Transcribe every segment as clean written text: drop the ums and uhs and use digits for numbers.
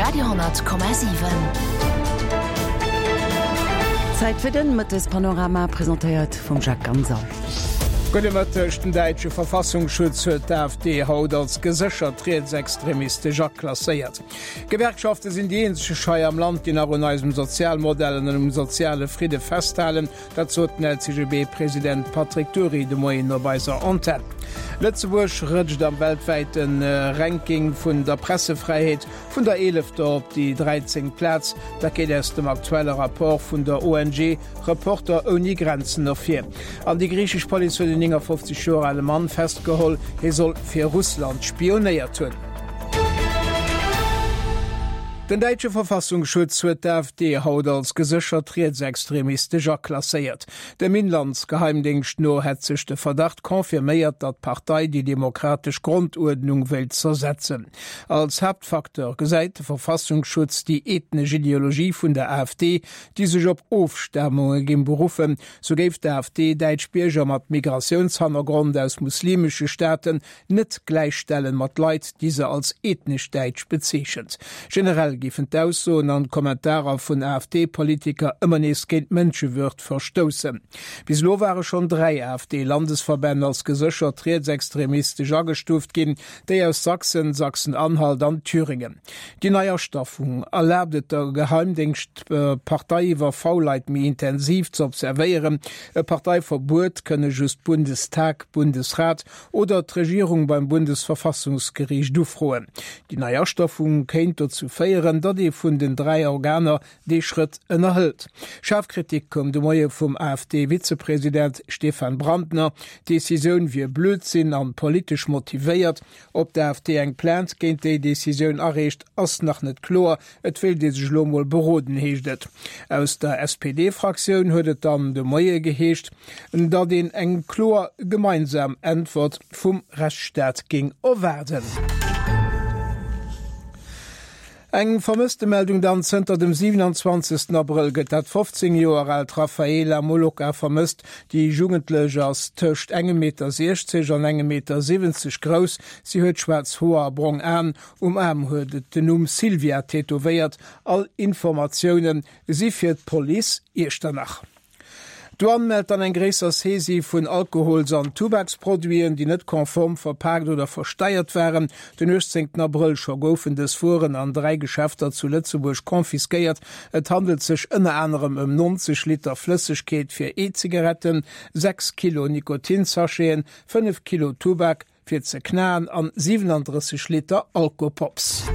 Radio,7. Zäit fir den Mëttespanorama, presentéiert vum Jacques Ganser. Gudde Mëtteg, Den däitsche Verfassungsschutz huet d'AfD haut als geséchert rietsextremistesch aklasséiert. D'Gewerkschafte sinn déi eenzeg hei am Land, déi nach un eisem Sozialmodell an um soziale Fridde festhalen. Dat sot den LCGB-President Patrick Dury de Moien op eiser Antenn. Lëtzebuerg rëtscht am weltwäite Ranking vun der Pressefräiheet vun der eelefter op déi dräizéngt Plaz. Dat geet aus dem aktuelle Rapport vun der ONG Reporter ouni Grenzen ervir. An déi griichesch Police huet en 59 Joer ale Mann festgeholl. Hie soll fir Russland spionéiert hunn. Den däitsche Verfassungsschutz huet d'AfD haut als geséchert rietsextremistesch aklasséiert. Dem Inlandsgeheimdéngscht no hätt sech de Verdacht confirméiert, datt d'Partei déi demokratesch Gronduerdnung wéilt zersetzen. Als Haaptfacteur gesäit de Verfassungsschutz déi ethnesch Ideologie vun der AfD, déi sech op Ofstamunge géing beruffen. Sou géif d'AfD däitsch Bierger mat Migratiounshannergrond aus muslimesche Staaten net gläichstellen mat Leit, déi se als ethnesch däitsch bezeechent. Generell géifen d'Aussoen an d'Kommentarer vun AfD-Politiker ëmmer nees géint d'Mënschewürd verstoussen. Bis elo ware schonn 3 AfD-Landesverbänn als geséchert rietsextremistesch agestuuft ginn, déi aus Sachsen, Sachsen-Anhalt an Thüringen. Déi nei Astafung erlaabt et der Geheimdéngscht, d'Partei iwwer V-Leit méi intensiv ze observéieren. E Parteiverbuet kënne just Bundestag, Bundesrat oder d'Regierung beim Bundesverfassungsgeriicht ufroen. Déi nei Astafung kéint dozou féieren, datt ee vun den 3 Organer dee Schrëtt ënnerhëlt. Schaarf Kritik koum de Moie vum AfD-Vizepresident Stefan Brandner. D'Decisioun wier Blödsinn an politesch motivéiert. Ob d'AfD eng Plainte géint déi Decisioun areecht, ass nach net kloer. Et wéilt ee sech elo mol beroden, heescht et. Aus der SPD-Fraktioun huet et dann de Moie geheescht, datt een eng kloer gemeinsam Äntwert vum Rechtsstaat géing erwaarden. Eng Vermësstemeldung dann, Zënter dem 27. Abrëll gëtt dat 15 Joer aalt Rafaela Moloka vermësst. Déi Jugendlech ass tëscht engem Meter 60 an engem Meter 70 grouss. Si huet schwaarz Hoer a brong Aen. Um Aarm huet et den Numm Silvia tätowéiert. All Informatioune si fir d'Police Iechternach. D'Douane mellt dann eng gréisser Saisie vun Alkohols an Tubaksproduiten, déi net konform verpaakt oder versteiert waren. Den 18 Abrëll scho goufen dës Wueren an 3 Geschäfter zu Lëtzebuerg confisquéiert. Et handelt sech ënner anerem ëm 90 Liter Flëssegkeet fir E-Zigaretten, 6 Kilo Nikotinsacheten, 5 Kilo Tubak, fir ze knaen an 37 Liter Alkopops.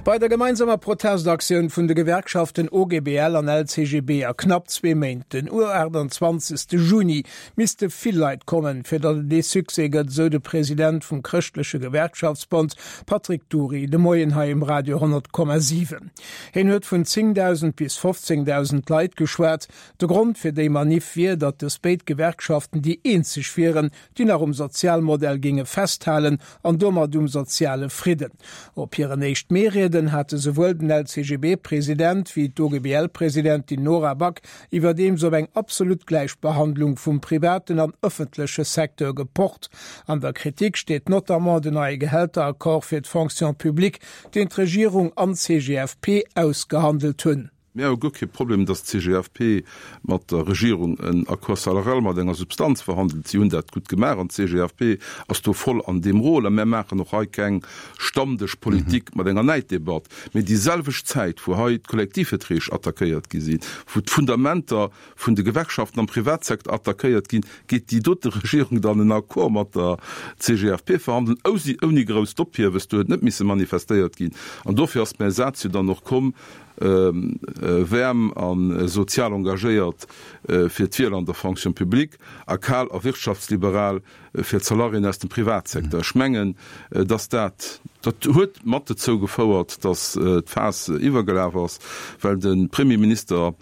Bei der gemeinsamer Protestaktioun vun de Gewerkschaften OGBL an LCGB a knapp zwee Méint, den 28 Juni, misste vill Leit kommen, fir datt et ee Succès gëtt, esou de President vum Chrëschtleche Gewerkschaftsbond Patrick Dury de Moien hei um Radio 100,7. Hien huet vun 10.000 bis 15.000 Leit geschwat. De Grond fir déi Maniff wier, datt dës béid Gewerkschaften déi eenzeg wieren, déi nach um Sozialmodell géinge festhalen an domat um soziale Fridden. Op hiren éischt Mee-Rieden hate souwuel den LCGB-President wéi d'OGBL-Presidentin Nora Back iwwerdeems op eng absolut Gläichbehandlung vum privaten an ëffentleche Secteur gepocht. An der Kritik steet notamment den neie Gehälteraccord fir d'Fonction publique, deen d'Regierung an d'CGFP ausgehandelt hunn. Mir hu guer kee Problem, dass d'CGFP mat der Regierung en Accord salarial mat enger Substanz verhandelt. Si hunn dat gutt gemaach an d'CGFP ass do voll an deem Rôle. A mir maachen och hei keng Stammdëschpolitik mat enger Näiddebatt. Mee déi selwecht Zäit, wou hei d'Kollektivverträg attackéiert gi sinn, wou d'Fundamenter vun de Gewerkschaften am Privatsecteur attackéiert ginn, geet déi dote Regierung dann en Accord mat der CGFP verhandelen, ouni grousst Ophieves. Do huet net misse manifestéiert ginn. An dofir ass mäi Saz jo dann och komm, Wäerm a sozial engagéiert fir d'Wieler an der Fonction publique a kal a wirtschaftsliberal fir d'Salariéen aus dem Privatsecteur. Ech mengen, dass dat, dat huet mat dozou gefouert, dass d'Faass iwwergelaf ass, well de Premierminister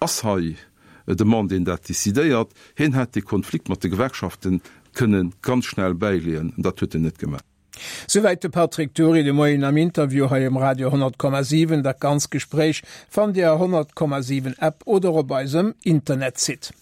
ass hei de Mann, deen dat décidéiert. Hien hätt dee Konflikt mat de Gewerkschafte kënne ganz schnell bäileeën, an dat huet en net gemaach. Souwäit de Patrick Dury de Moien am Interview hei um Radio 100,7. Dat ganz Gespréich fannt Dir a 100,7 App oder op eisem Internetsite.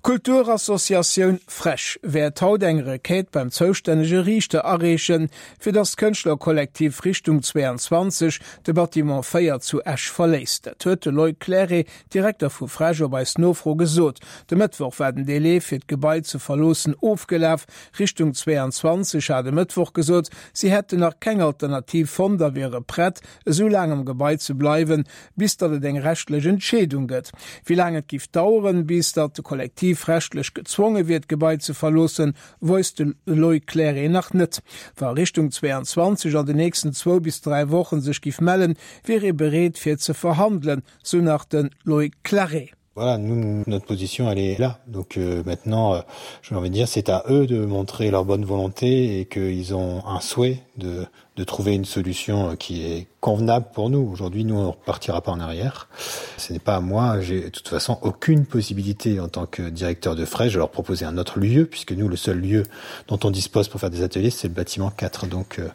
D'Kulturassociatioun Frech wäert haut eng Requête beim zoustännege Riichter areechen, fir datt d'Kënschtlerkollektiv Richtung 22 de Bâtiment 4 zu Esch verléisst. Dat huet de Loïc Clairet, Direkter vu Frech, op eis Nofro gesot. De Mëttwoch war den Delai fir d'Gebai ze verloossen ofgelaf. Richtung 22 hat e Mëttwoch gesot, si hätten nach keng Alternativ fonnt a wiere prett, esou laang am Gebai ze bleiwen, bis datt et eng rechtlech Entscheedung gëtt. Wéi laang et giff daueren, bis datt de Kollektiv rechtlech gezwonge wier d'Gebai ze verloossen, wousst de Loïc Clairet nach net. Wa Richtung 22 an de nächsten zwou bis 3 Wochen sech giff mellen, wier ee bereet fir ze verhandelen, sou nach de Loïc Clairet. Voilà, nous, notre position elle est là. Donc euh, maintenant, euh, j'ai envie de dire, c'est à eux de montrer leur bonne volonté et qu'ils ont un souhait de, de trouver une solution euh, qui est convenable pour nous. Aujourd'hui, nous, on ne repartira pas en arrière. Ce n'est pas à moi, j'ai de toute façon aucune possibilité en tant que directeur de frais, je leur proposer un autre lieu, puisque nous, le seul lieu dont on dispose pour faire des ateliers, c'est le bâtiment 4. Donc, euh,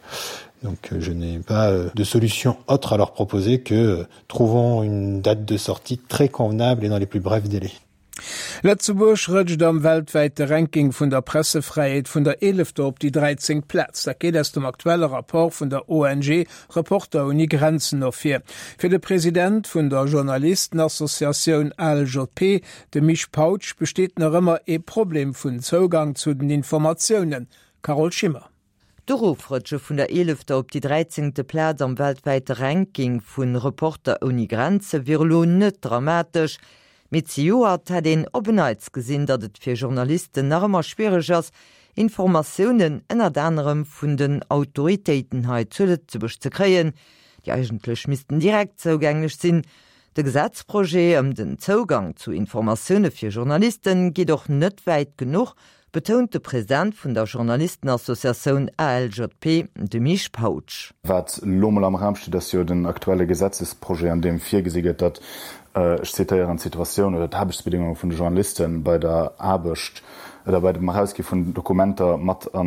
donc euh, je n'ai pas euh, de solution autre à leur proposer que euh, trouvons une date de sortie très convenable et dans les plus brefs délais. Lëtzebuerg rëtscht am weltwäite Ranking vun der Pressefräiheet vun der eelefter op déi dräizéngt Plaz. Dat geet aus dem aktuelle Rapport vun der ONG Reporter ouni Grenzen ervir. Fir de President vun der Journalistenassociatioun ALJP, de Misch Pautsch, besteet nach ëmmer ee Problem vun Zougang zu den Informatiounen. Carole Schimmer. D'Erofrëtsche vun der eelefter op déi dräizéngte Plaz am weltwäite Ranking vu Reporter ouni Grenze wier elo net dramatesch, mee zejoert hätt een op en Neits gesinn, datt et fir Journalisten nach ëmmer schwiereg ass, Informatiounen ënnert anerem vun den Autoritéiten hei zu Lëtzebuerg ze kréien, déi eigentlech missten direkt zougänglech sinn. De Gesetzprojet ëm den Zougang zu Informatioune fir Journaliste geet och net wäit genuch, betount de President vun der Journalistenassociatioun ALJP, de Misch Pautsch. Wat elo mol am Raum steet, ass jo den aktuelle Gesetzesprojet, an deem virgesi gëtt, datt, ech zitéieren, d'Situatioun oder d'Aarbechtsbedingunge vun de Journaliste bei der Aarbecht oder bei dem Erausgi vun Dokumenter mat a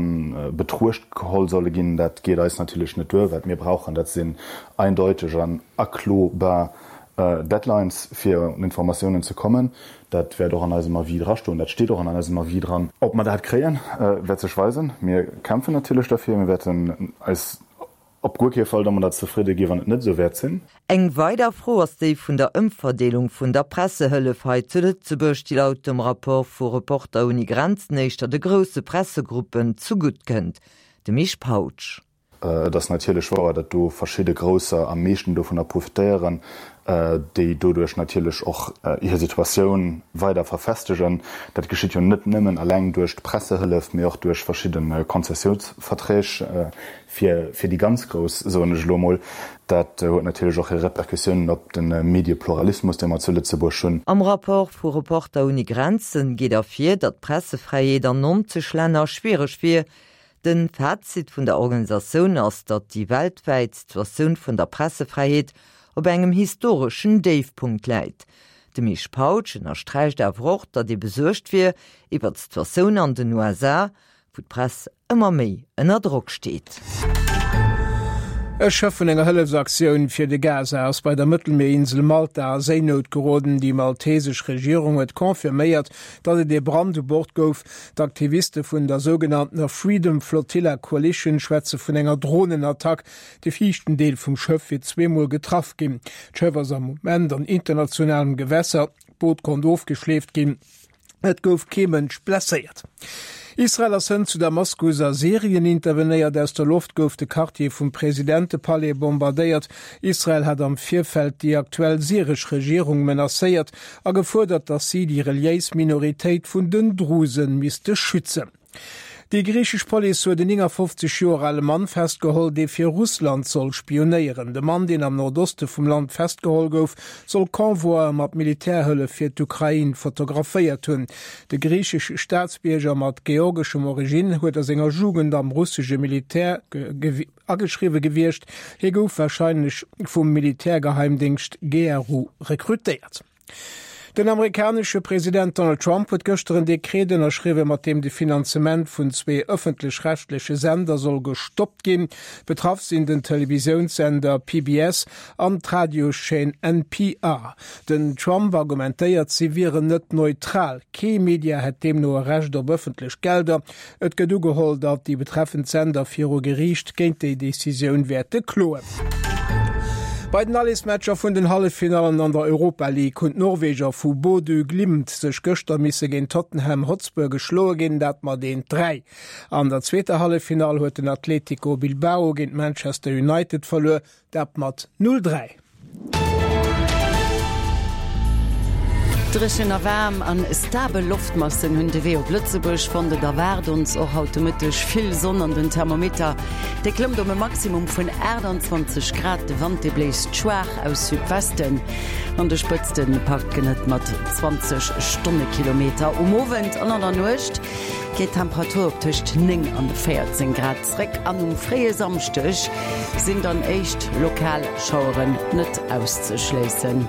Betruecht geholl solle ginn. Dat geet eis natierlech net duer. Wat mir brauchen, dat sinn eindeuteg an aklobar Deadlines, fir un Informatiounen ze kommen. Dat wäert och an eisem Avis drastoen. Dat steet och an eisem Avis dran. Ob mer dat kréien, wäert sech weisen. Mir kämpfen natierlech derfir. Mir wäerten eis op guer kee Fall domadder zefridde gi wann et net esou wäert sinn. Eng weider Fro ass déi vun der Ëmverdeelung vun der Pressehëllef hei zu Lëtzebuerg, déi laut dem Rapport vu Reporter ouni Grenzen éischter de grousse Pressegruppen zegutt kënnt. De Misch Pautsch. Et ass natierlech wouer, datt do verschidde Grousser am meeschten dovunner profitéieren, déi doduerch natierlech och hir Situatioun weider verfestegen. Dat geschitt jo net nëmmen eleng duerch d'Pressehëllef, mee och duerch verschidde Konzessiounsverträg fir déi ganz Grouss, soen ech elo emol. Dat huet natierlech och hir Repercussiounen op de Mediepluralismus, dee mer zu Lëtzebuerg hunn. Am Rapport vu Reporter ouni Grenzen geet ervir, datt d'Pressefräiheet an 90 Länner schwiereg wier. Den Fazit vun der Organisatioun ass, datt déi weltwäit Situatioun vun der Pressefräiheet op engem historeschen Déifpunkt läit. De Misch Pautsch ënnersträicht awer och, datt ee besuergt wier iwwer d'Situatioun an den USA, wou d'Press ëmmer méi ënner Drock steet. E Schëff vun enger Hëllefsaktioun fir de Gaza ass bei der Mëttelmierinsel Malta a Séinout geroden. Déi maltesesch Regierung huet confirméiert, datt et ee Brand u Bord gouf. D'Aktiviste vun der sougenanntener Freedom Flotilla Coalition schwätze vun enger Dronenattack. De viischten Deel vum Schëff wier zweemol getraff ginn. D'Schëff ass am Moment an internationalem Gewässer. D'Boot konnt ofgeschleeft ginn. Et gouf kee Mënsch blesséiert. Israel ass hënt zu Damaskus a Syrien intervenéiert. Aus der Loft gouf de Quartier vum Presidentepalais bombardéiert. Israel hat am Virfeld déi aktuell syresch Regierung menacéiert a gefuerdert, datt si déi reliéis Minoritéit vun den Drusen misste schützen. Déi griichesch Police huet en 59 Joer ale Mann festgeholl, dee fir Russland soll spionéieren. De Mann, deen am Nordoste vum Land festgeholl gouf, soll Convoie mat Militärhëllef fir d'Ukrain fotograféiert hunn. De griichesche Staatsbierger mat georgeschem Originn huet a senger Jugend am russesche Militär ageschriwwe gewiescht. Hie gouf warscheinlech vum Militärgeheimdéngscht GRU rekrutéiert. Den amerikanesche President Donald Trump huet gëschter en Dekret ënnerschriwwen, mat deem de Finanzement vun zwee ëffentlech-rechtleche Sender soll gestoppt ginn. Betraff sinn den Televisiounssender PBS an d'Radioschaîne NPR. Den Trump argumentéiert, si wieren net neutral. Kee Media hätt deemno e Recht op ëffentlech Gelder. Et gëtt ugeholl, datt déi betreffend Sender viru Geriicht géint déi Decisioun wäerte kloen. Bei den Allesmatcher vun den Halleffinallen an der Europa League hunn d'Norweger vu Bodø Glimt sech gëschter misse géint Tottenham Hotspur geschloe ginn, dat mat 1, 3. An der zweeter Halleffinall huet den Atletico Bilbao géint Manchester United verluer, Dat mat 0, 3. Dréchen a waarm an stabel Loftmassen hunn de Wee op Lëtzebuerg fonnt. Et erwaart ons och haut de Mëtteg vill Sonn an den Thermometer dee klëmmt op e Maximum vun 28 Grad. De Wand dee bléist schwaach aus Südwesten, an de Spëtzte packt en et mat 20 Stonnekilometer. Um Owend an an der Nuecht geet d'Temperatur op tëscht 9 an 14 Grad zréck an um fréie Samschdeg sinn dann éischt lokal Schaueren net auszeschléissen.